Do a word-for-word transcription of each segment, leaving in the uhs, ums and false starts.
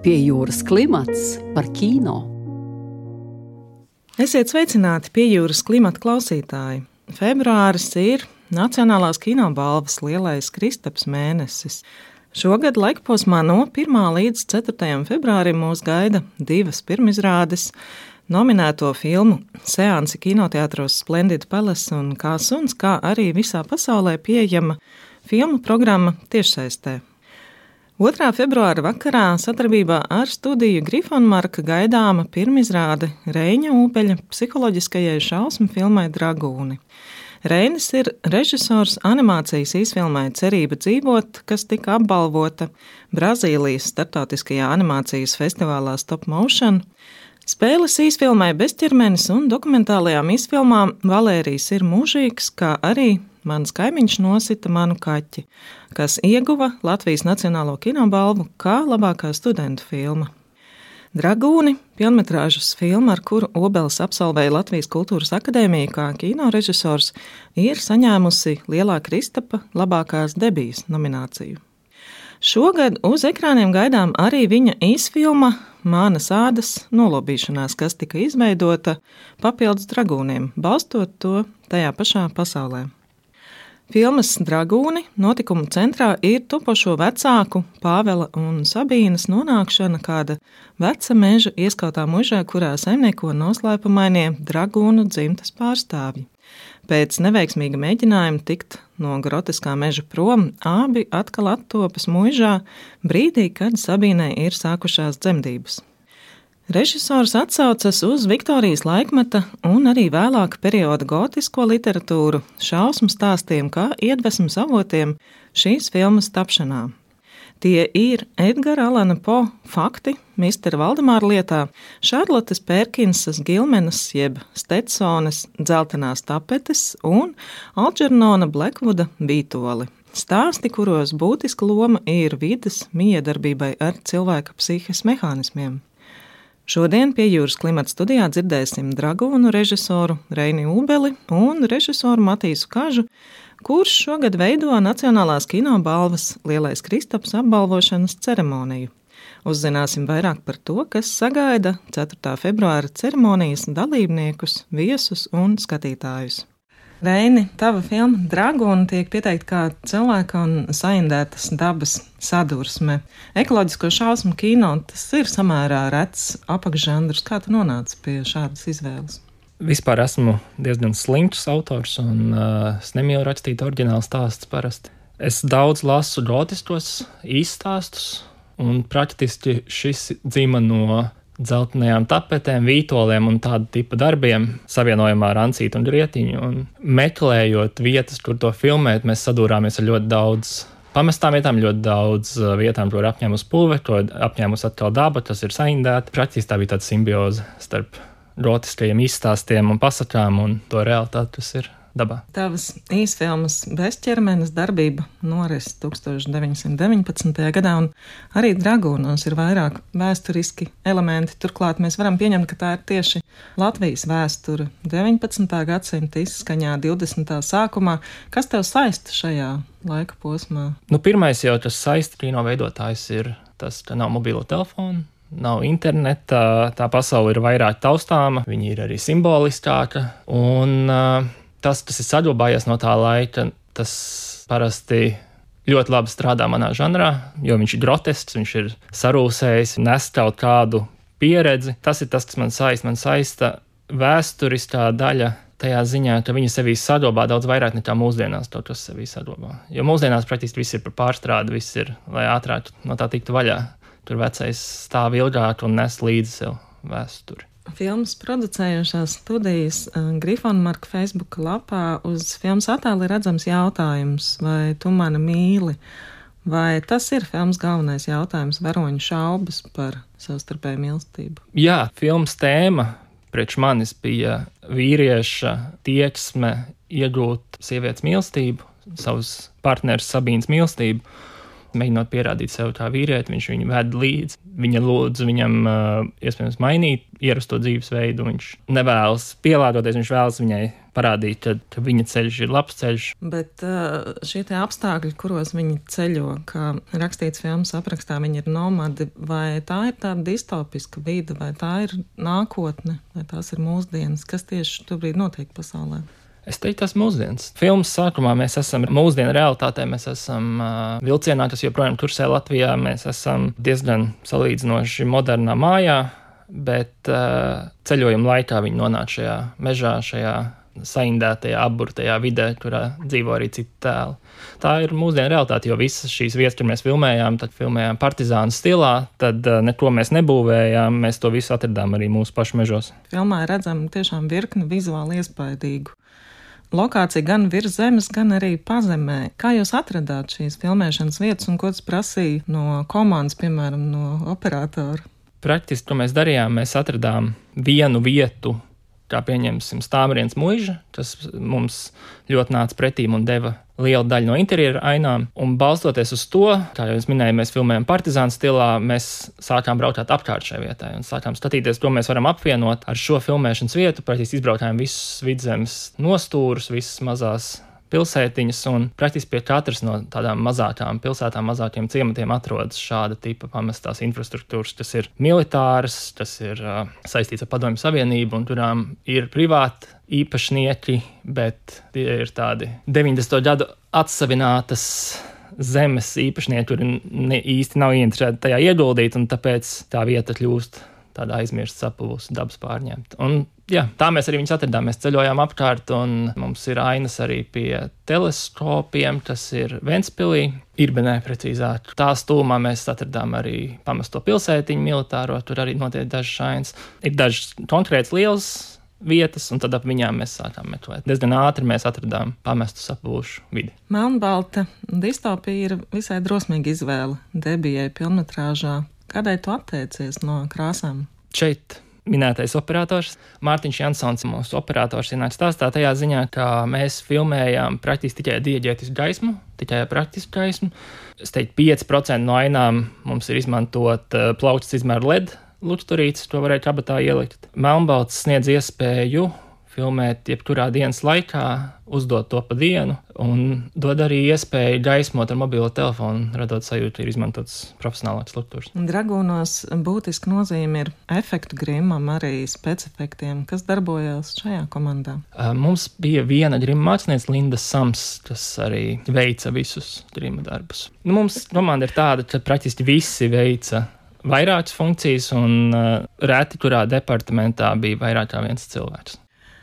Pie jūras klimats par kino. Esiet sveicināti pie jūras klimata klausītāji. Februāris ir Nacionālās kinobalvas lielais Kristaps mēnesis. Šogad laikposmā no pirmā līdz ceturtajam februārim mūs gaida divas pirmizrādes. Nominēto filmu seansi kinoteātros Splendid Palace un Kā suns, kā arī visā pasaulē pieejama filmu programma tiešsaistē. otrā februāra vakarā sadarbībā ar studiju Grifonmarka gaidāma pirmizrāde Reiņa Ūbeļa psiholoģiskajai šausmu filmai Dragūni. Reinis ir režisors animācijas īsfilmai Cerība dzīvot, kas tika apbalvota Brazīlijas starptautiskajā animācijas festivālā Stop Motion. Spēles īsfilmai Bezķermenis un dokumentālajām īsfilmām Valērijas ir mūžīgs, kā arī Mans kaimiņš nosita manu kaķi, kas ieguva Latvijas Nacionālo kinobalvu kā labākā studentu filma. Dragūni, pilnmetrāžas filma, ar kuru Obelis absolvēja Latvijas Kultūras akadēmiju kā kinorežisors, ir saņēmusi Lielā Kristapa labākās debijas nomināciju. Šogad uz ekrāniem gaidām arī viņa īsfilma Mānas ādas nolobīšanās, kas tika izveidota papildus Dragūniem, balstot to tajā pašā pasaulē. Filmas Dragūni notikumu centrā ir topošo vecāku Pāvela un Sabīnas nonākšana kāda veca meža ieskautā mužā, kurā saimnieko noslēpumainie Dragūnu dzimtas pārstāvji. Pēc neveiksmīga mēģinājuma tikt no groteskā meža prom, abi atkal attopas mužā brīdī, kad Sabīnai ir sākušās dzemdības. Režisors atsaucas uz Viktorijas laikmeta un arī vēlāka perioda gotisko literatūru, šausmu stāstiem kā iedvesmas avotiem šīs filmas tapšanā. Tie ir Edgara Alana Po fakti mistera Valdemāra lietā, Šarlotes Pērkinsas Gilmenas jeb Stetsones dzeltenās tapetes un Alģernona Blekvuda Vītoli. Stāsti, kuros būtiska loma ir vides miedarbībai ar cilvēka psihes mehānismiem. Šodien pie jūras klimata studijā dzirdēsim Dragūnu režisoru Reini Ūbeli un režisoru Matīsu Kažu, kurš šogad veido Nacionālās kinobalvas Lielais Kristaps apbalvošanas ceremoniju. Uzzināsim vairāk par to, kas sagaida ceturtā februāra ceremonijas dalībniekus, viesus un skatītājus. Reini, tava filma Dragūni tiek pieteikta kā cilvēka un saindētas dabas sadursme. Ekoloģisko šausmu kino tas ir samērā rets apakšžanrs. Kā tu nonāci pie šādas izvēles? Vispār esmu diezgan slinkts autors un uh, es nemīlu rakstīt oriģinālu stāstus parasti. Es daudz lasu gotiskos īststāstus un praktiski šis dzima no dzeltenajām tapetēm, vītoliem un tādu tipu darbiem, savienojumā ar Ancītu un Grietiņu. Un meklējot vietas, kur to filmēt, mēs sadūrāmies ar ļoti daudz pamestām vietām, ļoti daudz vietām, kur apņēmus pulve, kur apņēmus atkal daba, tas ir saindēta. Praktiski tā bija tāda simbioze starp gotiskajiem izstāstiem un pasakām un to realitāti, kas ir dabā. Tavas īsfilmas Bezķermenis darbība noris tūkstoš deviņsimt deviņpadsmitajā gadā, un arī Dragūnos ir vairāk vēsturiski elementi. Turklāt mēs varam pieņemt, ka tā ir tieši Latvijas vēsture deviņpadsmitā gadsimta izskaņā divdesmitā sākumā. Kas tev saista šajā laika posmā? Nu, pirmais jau tas saista kino veidotājs ir tas, ka nav mobilo telefonu, nav interneta, tā pasaule ir vairāk taustāma, viņi ir arī simboliskāka, un uh, tas, kas ir saglabājies no tā laika, tas parasti ļoti labi strādā manā žanrā, jo viņš ir grotesks, viņš ir sarūsējis, nes kaut kādu pieredzi. Tas ir tas, kas man saista. Man saista vēsturiskā daļa tajā ziņā, ka viņi sevī saglabā daudz vairāk nekā mūsdienās to, kas sevī saglabā. Jo mūsdienās praktiski viss ir par pārstrādi, viss ir, lai ātrāk no tā tiktu vaļā. Tur vecais stāv ilgāk un nes līdzi sev vēsturi. Filmas producējušās studijas Grifonmarka Facebook lapā uz filmas attēla ir redzams jautājums, vai tu mani mīli? Vai tas ir filmas galvenais jautājums, varoņu šaubas par savstarpēju mīlestību? Jā, filmas tēma priekš manis bija vīrieša tieksme iegūt sievietes mīlestību, savus partneres Sabīnas mīlestību. Mēģinot pierādīt sev kā vīrieti, viņš viņu ved līdzi. Viņa lūdz viņam uh, iespējams mainīt ierasto dzīvesveidu. Viņš nevēlas pielāgoties, viņš vēlas viņai parādīt, ka, ka viņa ceļš ir labs ceļš. Bet šie tie apstākļi, kuros viņi ceļo, kā rakstīts filmas aprakstā, viņi ir nomadi, vai tā ir tāda distopiska vide, vai tā ir nākotne, vai tās ir mūsdienas, kas tieši tobrīd notiek pasaulē? Es teiktu, tas mūsdienas. Filmas sākumā mēs esam mūsdienu realitātē, mēs esam uh, vilcienā, kas joprojām tursē Latvijā, mēs esam diezgan salīdzinoši modernā mājā, bet uh, ceļojuma laikā viņi nonāk šajā mežā, šajā saindētajā, apburtajā vidē, kurā dzīvo arī citi tēli. Tā ir mūsdienu realitāte, jo visas šīs vietas, kur mēs filmējām, tad filmējām partizānu stilā, tad uh, neko mēs nebūvējām, mēs to visu atradām arī mūsu pašu mežos. Filmā redzam tiešām virkni vizuāli iespaidīgu lokācija gan virs zemes, gan arī pazemē. Kā jūs atradāt šīs filmēšanas vietas un ko tas prasīja no komandas, piemēram, no operatora? Praktiski, ko mēs darījām, mēs atradām vienu vietu, kā pieņemsim Stāmrienes muiža, kas mums ļoti nāca pretīm un deva lielu daļu no interjera ainām. Un balstoties uz to, kā jau es minēju, mēs filmējam partizānu stilā, mēs sākām braukāt apkārt šai vietai un sākām skatīties, ko mēs varam apvienot ar šo filmēšanas vietu. Praktiski izbraukājām visus vidzemes nostūrus, visas mazās pilsētiņas, un praktiski pie katras no tādām mazākām pilsētām, mazākiem ciematiem atrodas šāda tipa pamestās infrastruktūras, kas ir militāras, kas ir uh, saistīts ar Padomju Savienību, un kurām ir privāti īpašnieki, bet tie ir tādi deviņdesmito gadu atsavinātas zemes īpašnieki, kuri ne, īsti nav ieinteresēti tajā ieguldīt, un tāpēc tā vieta kļūst tāda aizmirsta, sapuvusi, dabas pārņemta. Un jā, tā mēs arī viņus atradām. Mēs ceļojām apkārt, un mums ir ainas arī pie teleskopiem, kas ir Ventspilī, Irbenē precīzāk. Tā stūmā mēs atradām arī pamesto pilsētiņu militāro, tur arī notiek dažas ainas. Ir dažas konkrētas lielas vietas, un tad ap viņām mēs sākām meklēt. Diezgan ātri mēs atradām pamestu sapuvušu vidi. Melnbalta distopija ir visai drosmīga izvēle debijai pilnmetrāžā. Kādēļ tu atteicies no krāsām? Šeit minētais operators Mārtiņš Jansons, mūsu operators, ienāk stāstā tajā ziņā, ka mēs filmējām praktiski tikai dieģētisku gaismu, tikai praktisku gaismu. Es teiktu, pieci procenti no ainām mums ir izmantot uh, plauktas izmēru L E D lukturītes, to varēja kabatā ielikt. Melnbalts sniedz iespēju filmēt jebkurā dienas laikā, uzdot to pa dienu, un dod arī iespēju gaismot ar mobilo telefonu, radot sajūtu, ir izmantots profesionālāks struktūras. Dragūnos būtiski nozīme ir efektu grimam, arī specefektiem. Kas darbojās šajā komandā? Mums bija viena grima mākslinieca, Linda Sams, kas arī veica visus grima darbus. Nu, mums komanda ir tāda, ka praktiski visi veica vairākas funkcijas, un uh, reti kurā departamentā bija vairāk kā viens cilvēks.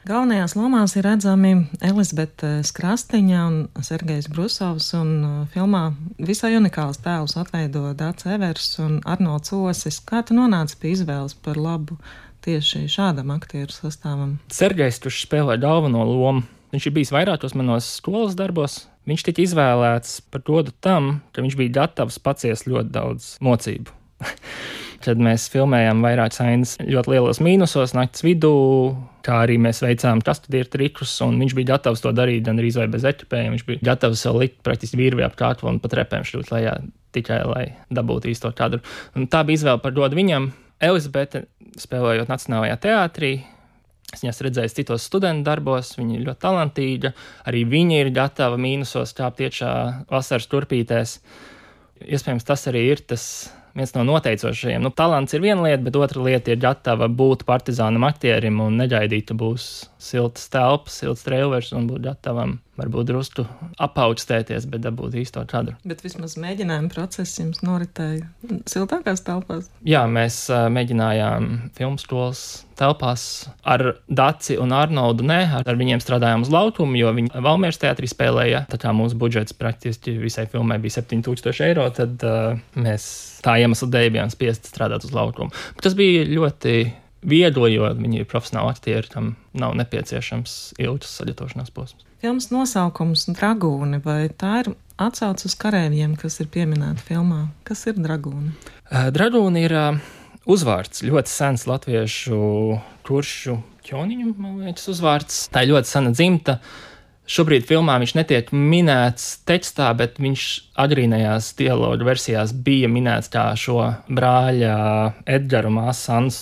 Galvenajās lomās ir redzami Elizabete Skrastiņa un Sergejs Brusovs, un filmā visai unikāls tēlus atveido Dārts Evers un Arnolds Osis. Kā tu nonāci pie izvēles par labu tieši šādam aktieru sastāvam? Sergejs, kurš spēlē galveno lomu, viņš ir bijis vairākos manos skolas darbos. Viņš tika izvēlēts par godu tam, ka viņš bija gatavs paciest ļoti daudz mocību. Kad mēs filmējām vairākas ainas ļoti lielos mīnusos, naktas vidū, kā arī mēs veicām kastudieru trikus, un viņš bija gatavs to darīt gan arī bez ekipējiem. Viņš bija gatavs vēl likt praktiski virvi ap kātu un pat repēm šļūt lejā, tikai lai dabūtu īsto kadru. Un tā bija izvēle par godu viņam. Elizabete, spēlējot Nacionālajā teātrī, es viņas redzēju citos studentu darbos, viņa ir ļoti talantīga, arī viņa ir gatava mīnusos kāpt iekšā vasaras turpītēs. Iespējams, tas arī ir tas viens no noteicošajiem. Nu, talants ir viena lieta, bet otra lieta ir gatava būt partizānam aktierim un negaidīt, ka būs siltas telpas, silts treilers un būt gatavam varbūt drusku apaugstēties, bet dabūt īsto kadru. Bet vismaz mēģinājuma process jums noritēja siltākās telpās? Jā, mēs uh, mēģinājām filmu skolas telpās ar Daci un Arnoldu. Nē, ar, ar viņiem strādājām uz laukumu, jo viņi Valmieras teātrī spēlēja. Tā kā mūsu budžets praktiski visai filmai bija septiņi tūkstoši eiro, tad uh, mēs tā iemesla dēļ bijām spiesti strādāt uz laukumu. Bet tas bija ļoti viegli, jo viņi ir profesionāli aktieri, tam nav nepieciešams ilgs sagatavošanās posms. Filmas nosaukums Dragūni, vai tā ir atsauce uz kareiviem, kas ir pieminēti filmā? Kas ir Dragūni? Uh, Dragūni ir uh, uzvārds, ļoti sens latviešu kuršu ķoniņu, man liekas, uzvārds. Tā ir ļoti sena dzimta. Šobrīd filmā viņš netiek minēts tekstā, bet viņš agrīnajās dialogu versijās bija minēts kā šo brāļa Edgara māsas Annas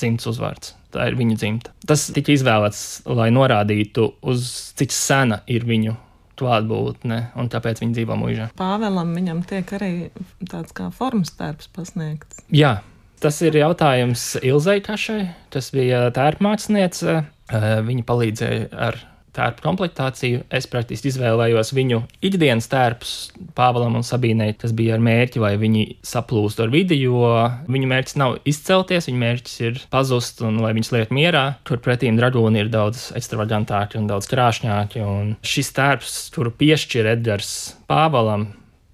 dzimtas uzvārds. Tā ir viņa dzimta. Tas tika izvēlēts, lai norādītu, uz cik sena ir viņu klātbūtne, un tāpēc viņi dzīvo mūžā. Pāvēlam viņam tiek arī tāds kā formas tērps pasniegts. Jā, tas ir jautājums Ilzei Kašai. Tas bija tērpmācniece. Viņa palīdzēja ar tērpu komplektāciju. Es praktiski izvēlējos viņu ikdienas tērpus Pāvēlam un Sabīnei. Tas bija ar mērķi, lai viņi saplūst ar vidi, jo viņu mērķis nav izcelties, viņu mērķis ir pazust un lai viņus liek mierā. Tur pretīm dragūni ir daudz ekstravagantāki un daudz krāšņāki. Un šis tērps, kuru piešķir Edgars Pāvēlam,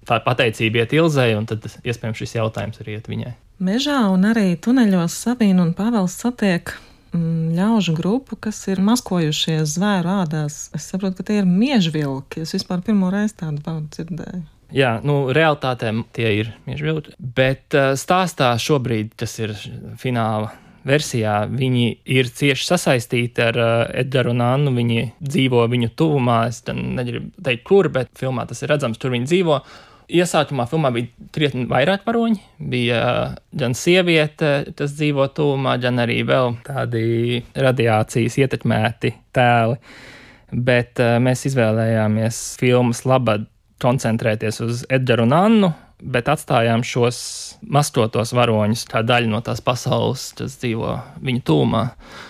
tā pateicība iet Ilzei, un tad iespējams šis jautājums arī iet viņai. Mežā un arī tuneļos Sabīna un Pāvels satiek ļaužu grupu, kas ir maskojušies zvēru ādās. Es saprotu, ka tie ir miežvilki. Es vispār pirmo reizi tādu vārdu dzirdēju. Jā, nu, realitātē tie ir miežvilki, bet stāstā šobrīd tas ir fināla versijā. Viņi ir cieši sasaistīti ar Edgaru un Annu. Viņi dzīvo viņu tuvumā. Es negribu teikt, kur, bet filmā tas ir redzams, tur viņi dzīvo. Iesākumā filmā bija krietni vairāk varoņi. Bija gan sieviete, kas dzīvo tuvumā, gan arī vēl tādi radiācijas ietekmēti tēli. Bet uh, mēs izvēlējāmies filmas labad koncentrēties uz Edgaru un Annu, bet atstājām šos maskotos varoņus kā daļu no tās pasaules, kas dzīvo viņu tūmā.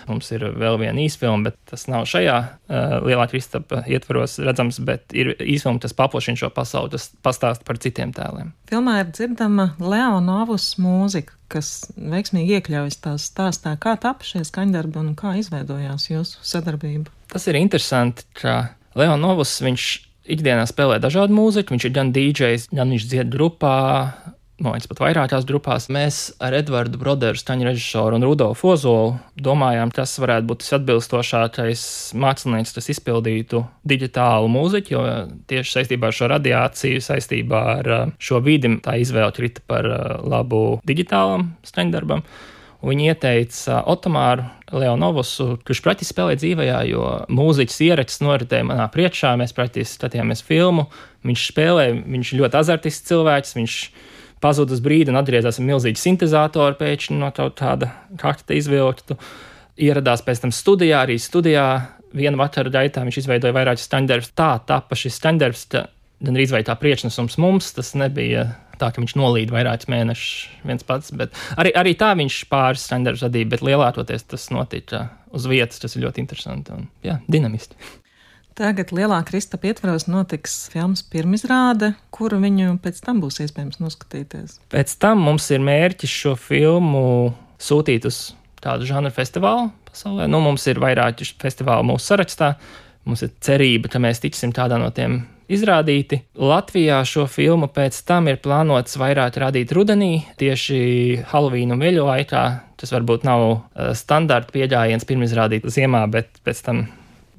Mums ir vēl viena īsfilma, bet tas nav šajā uh, Lielā Kristapa ietvaros redzams, bet ir īsfilma, tas paplašina šo pasauli, tas pastāst par citiem tēliem. Filmā ir dzirdama Leonovas mūzika, kas veiksmīgi iekļaujas tās stāstā. Kā tapa šie skaņdarbi un kā izveidojās jūsu sadarbība? Tas ir interesanti, ka Leonovs, viņš ikdienā spēlē dažādu mūziku, viņš ir gan dīdžejs, gan viņš dzied grupā, no viņš pat vairākās grupās. Mēs ar Edvardu Broderu, skaņu režisoru un Rudolfu Ozolu domājām, kas varētu būt tas atbilstošākais mākslinieks, kas izpildītu digitālu mūziku, jo tieši saistībā ar šo radiāciju, saistībā ar šo vidi, tā izvēle krita par labu digitālam skaņdarbam. Viņi ieteica Otomāru Leonovusu, kurš praktiski spēlē dzīvajā, jo mūziķis ieraksts noritēja manā priekšā, mēs praktiski skatījāmies filmu, viņš spēlē, viņš ļoti azartisks cilvēks, viņš pazuda uz brīdi un atgriezās ar milzīgu sintezātoru pēkšņi no kaut kāda kakta izvilktu. Ieradās pēc tam studijā, arī studijā vienu vakaru gaitā viņš izveidoja vairākus skaņdarbus. Tā tapa šis skaņdarbs, gan arī tā priekšnesums mums, tas nebija tā, ka viņš nolīd vairākus mēnešus viens pats, bet arī, arī tā viņš pāris skaņdarbus radīja, bet lielākoties tas notika uz vietas, tas ir ļoti interesanti un, jā, dinamiski. Tagad Lielā Kristapa ietvaros notiks filmas pirmizrāde, kuru viņu pēc tam būs iespējams noskatīties. Pēc tam mums ir mērķis šo filmu sūtīt uz tādu žanru festivālu pasaulē. Nu, mums ir vairāki festivāli mūsu sarakstā. Mums ir cerība, ka mēs tiksim tādā no tiem izrādīti. Latvijā šo filmu pēc tam ir plānots vairāk rādīt rudenī, tieši Halloween un veļu laikā. Tas varbūt nav standarta pieļājiens pirmizrādīt ziemā, bet pēc tam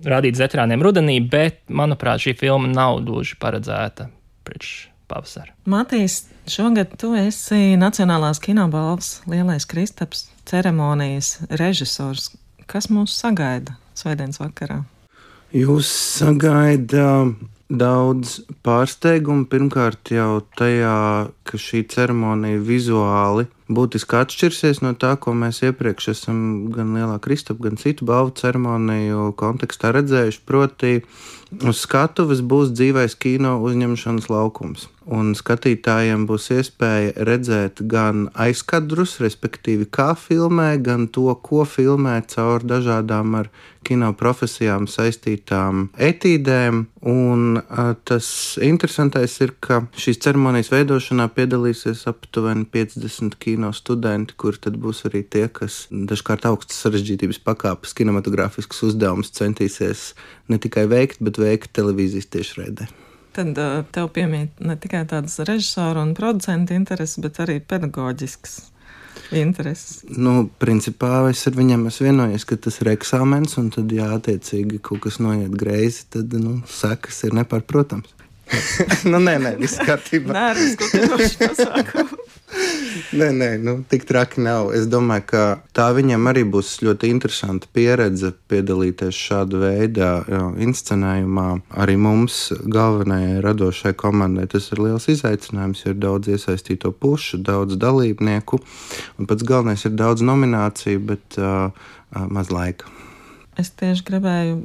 rādīt veterāniem rudenī, bet, manuprāt, šī filma nav gluži paredzēta priekš pavasara. Matīs, šogad tu esi Nacionālās kinobalvas Lielais Kristaps ceremonijas režisors. Kas mūs sagaida svētdienas vakarā? Jūs sagaida daudz pārsteigumu. Pirmkārt jau tajā, ka šī ceremonija vizuāli būtiski atšķirsies no tā, ko mēs iepriekš esam gan Lielā Kristapa, gan citu balvu ceremoniju kontekstā redzējuši. Proti, uz skatuves būs dzīvais kino uzņemšanas laukums. Un skatītājiem būs iespēja redzēt gan aizkadrus, respektīvi kā filmē, gan to, ko filmē caur dažādām ar kino profesijām saistītām etīdēm. Un a, tas interesantais ir, ka šīs ceremonijas veidošanā piedalīsies aptuveni piecdesmit kino studenti, kur tad būs arī tie, kas dažkārt augstas sarežģītības pakāpes kinematogrāfiskus uzdevumus centīsies ne tikai veikt, bet veikt televīzijas tiešraidē. Tad uh, tev piemīt ne tikai tādas režisoru un producentu intereses, bet arī pedagoģisks intereses. Nu, principā es ar viņiem esmu vienojies, ka tas ir eksāmens, un tad, jā, attiecīgi kaut kas noiet greizi, tad, nu, sekas ir nepārprotams. nu, nē, nē, viss kārtībā. Nē, risku, ka pasākumu. Nē, nē, nu, tik traki nav. Es domāju, ka tā viņam arī būs ļoti interesanta pieredze piedalīties šāda veida inscenējumā. Arī mums, galvenajai radošai komandai, tas ir liels izaicinājums, jo ir daudz iesaistīto pušu, daudz dalībnieku, un pats galvenais ir daudz nomināciju, bet uh, uh, maz laika. Es tieši gribēju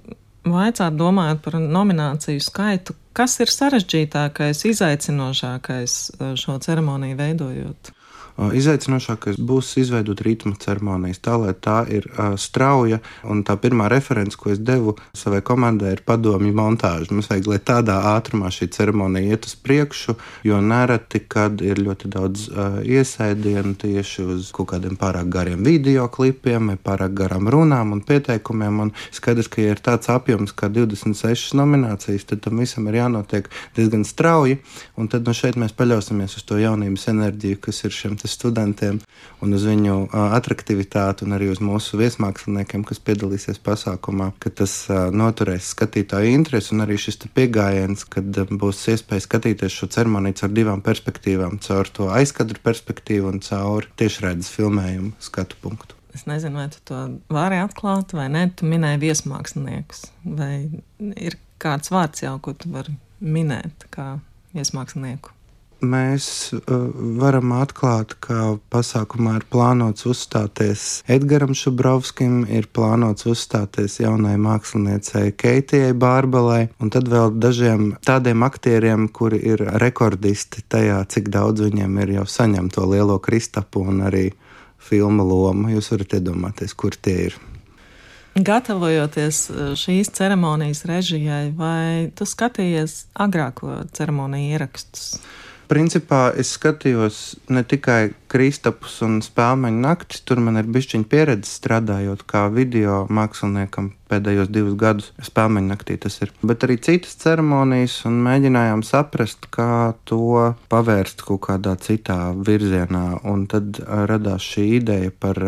vaicāt, domājot par nomināciju skaitu, kas ir sarežģītākais, izaicinošākais šo ceremoniju veidojot? Izaicinošākais būs izveidot ritma ceremonijas, tā lai tā ir uh, strauja, un tā pirmā reference, ko es devu savai komandai, ir padomju montāža. Mums vajag, lai tādā ātrumā šī ceremonija iet uz priekšu, jo nereti, kad ir ļoti daudz uh, iesaidienu tieši uz kaut kādiem pārāk gariem videoklipiem, vai pārāk garām runām un pieteikumiem, un skaidrs, ka, ja ir tāds apjoms kā divdesmit sešas nominācijas, tad tam visam ir jānotiek diezgan strauji, un tad no šeit mēs paļausimies uz to jaunības enerģiju, kas ir šiem studentiem un uz viņu uh, atraktivitāti un arī uz mūsu viesmāksliniekiem, kas piedalīsies pasākumā, ka tas uh, noturēs skatītāju interesi un arī šis piegājiens, kad uh, būs iespēja skatīties šo ceremoniju caur divām perspektīvām, caur to aizkadru perspektīvu un caur tiešraides filmējumu skatu punktu. Es nezinu, vai tu to vari atklāt vai ne, tu minēji viesmāksliniekus, vai ir kāds vārds jau, ko tu vari minēt kā viesmākslinieku? Mēs uh, varam atklāt, ka pasākumā ir plānots uzstāties Edgaram Šubrovskim, ir plānots uzstāties jaunai māksliniecei Keitijai Bārbalai, un tad vēl dažiem tādiem aktieriem, kuri ir rekordisti tajā, cik daudz viņiem ir jau saņemto lielo Kristapu un arī filmu lomu. Jūs varat iedomāties, kur tie ir. Gatavojoties šīs ceremonijas režijai, vai tu skatījies agrāko ceremoniju ierakstus? Principā es skatījos ne tikai Kristapus un Spēlmeņu naktis, tur man ir bišķiņa pieredze strādājot kā video māksliniekam pēdējos divus gadus, Spēlmeņu naktī tas ir, bet arī citas ceremonijas un mēģinājām saprast, kā to pavērst kaut kādā citā virzienā, un tad radās šī ideja par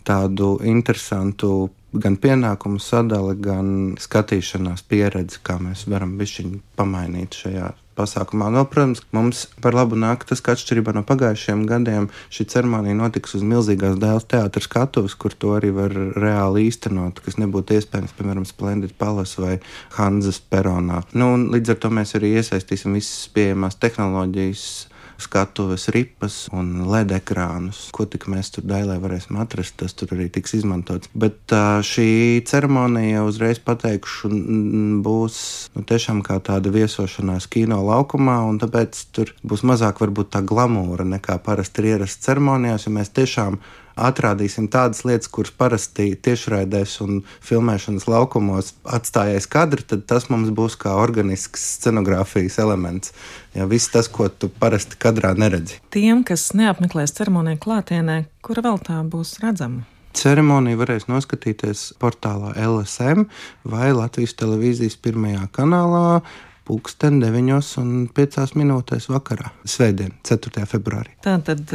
tādu interesantu gan pienākumu sadali, gan skatīšanās pieredzi, kā mēs varam bišķiņu pamainīt šajā pasākumā. No, protams, mums par labu nāk tas, ka atšķirībā no pagājušajiem gadiem šī ceremonija notiks uz milzīgās Dēls teātra skatuves, kur to arī var reāli īstenot, kas nebūtu iespējams, piemēram, Splendid Palace vai Hanzas peronā. Nu, un līdz ar to mēs arī iesaistīsim visas pieejamās tehnoloģijas, skatuves, ripas un L E D ekrānus. Ko tik mēs tur Dailē varēsim atrast, tas tur arī tiks izmantots. Bet šī ceremonija, uzreiz pateikšu, būs nu, tiešām kā tāda viesošanās kino laukumā, un tāpēc tur būs mazāk varbūt tā glamūra nekā parasti ir ierasts ceremonijās, jo mēs tiešām atrādīsim tādas lietas, kuras parasti tiešraidēs un filmēšanas laukumos atstājais kadri, tad tas mums būs kā organisks scenogrāfijas elements. Ja, viss tas, ko tu parasti kadrā neredzi. Tiem, kas neapmeklēs ceremoniju klātienē, kura vēl tā būs redzama? Ceremoniju varēs noskatīties portālā L S M vai Latvijas televīzijas pirmajā kanālā pulksten deviņos un piecās minūtēs vakarā, svētdien, ceturtajā februārī. Tātad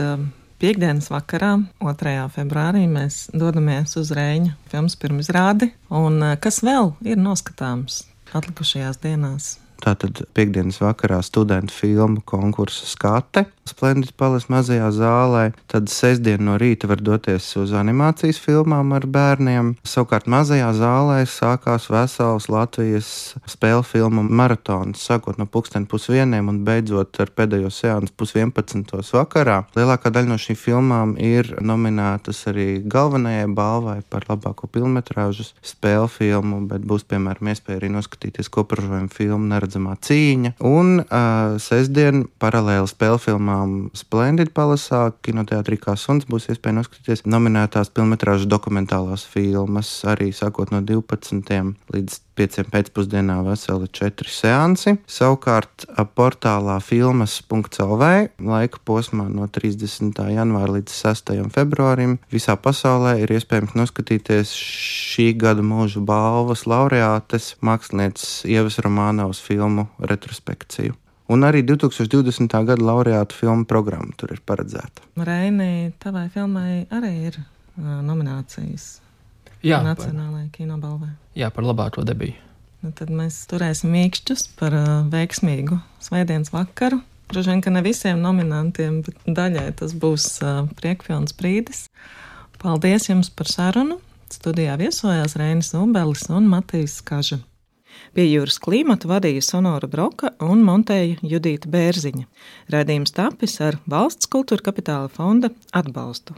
piekdienas vakarā, otrajā februārī, mēs dodamies uz Reiņa filmas pirmizrādi. Un kas vēl ir noskatāms atlikušajās dienās? Tātad piekdienas vakarā studentu filmu konkursa skate Splendid Palace mazajā zālē. Tad sestdien no rīta var doties uz animācijas filmām ar bērniem. Savukārt mazajā zālē sākās vesels Latvijas spēļu filmu maratons, sākot no pulksten pusvieniem un beidzot ar pēdējo seansu pusvienpadsmitos vakarā. Lielākā daļa no šīm filmām ir nominētas arī galvenajai balvai par labāko pilnmetrāžas spēļu filmu, bet būs, piemēram, iespēja arī noskatīties koprodžojumu filmu Neredzamā cīņa. Un uh, sestdien paralēli spēļu filmām Splendid Palace kinoteātrī kā suns būs iespēja noskatīties nominētās pilnmetrāžas dokumentālās filmas, arī sākot no divpadsmitiem līdz pieciem pēcpusdienā veseli četri seansi. Savukārt portālā filmas punkts L V laika posmā no trīsdesmitā janvāra līdz sestajam februārim visā pasaulē ir iespējams noskatīties šī gada mūža balvas laureātes mākslinieces Ievas Romānovas filmu retrospekciju. Un arī divtūkstoš divdesmitā gada laureātu filmu programma tur ir paredzēta. Reini, tavai filmai arī ir uh, nominācijas Jā, Nacionālajai kinobalvai. Jā, par labāko debiju. Nu, tad mēs turēsim mīkšķus par uh, veiksmīgu svētdienas vakaru. Droši vien, ka ne visiem nominantiem, bet daļai tas būs uh, priekpilns brīdis. Paldies jums par sarunu. Studijā viesojās Reinis Ubelis un Matīs Kaža. Pie Jūras klimata vadīja Sonora Broka un montēja Judīta Bērziņa. Raidījums tapis ar Valsts kultūra kapitāla fonda atbalstu.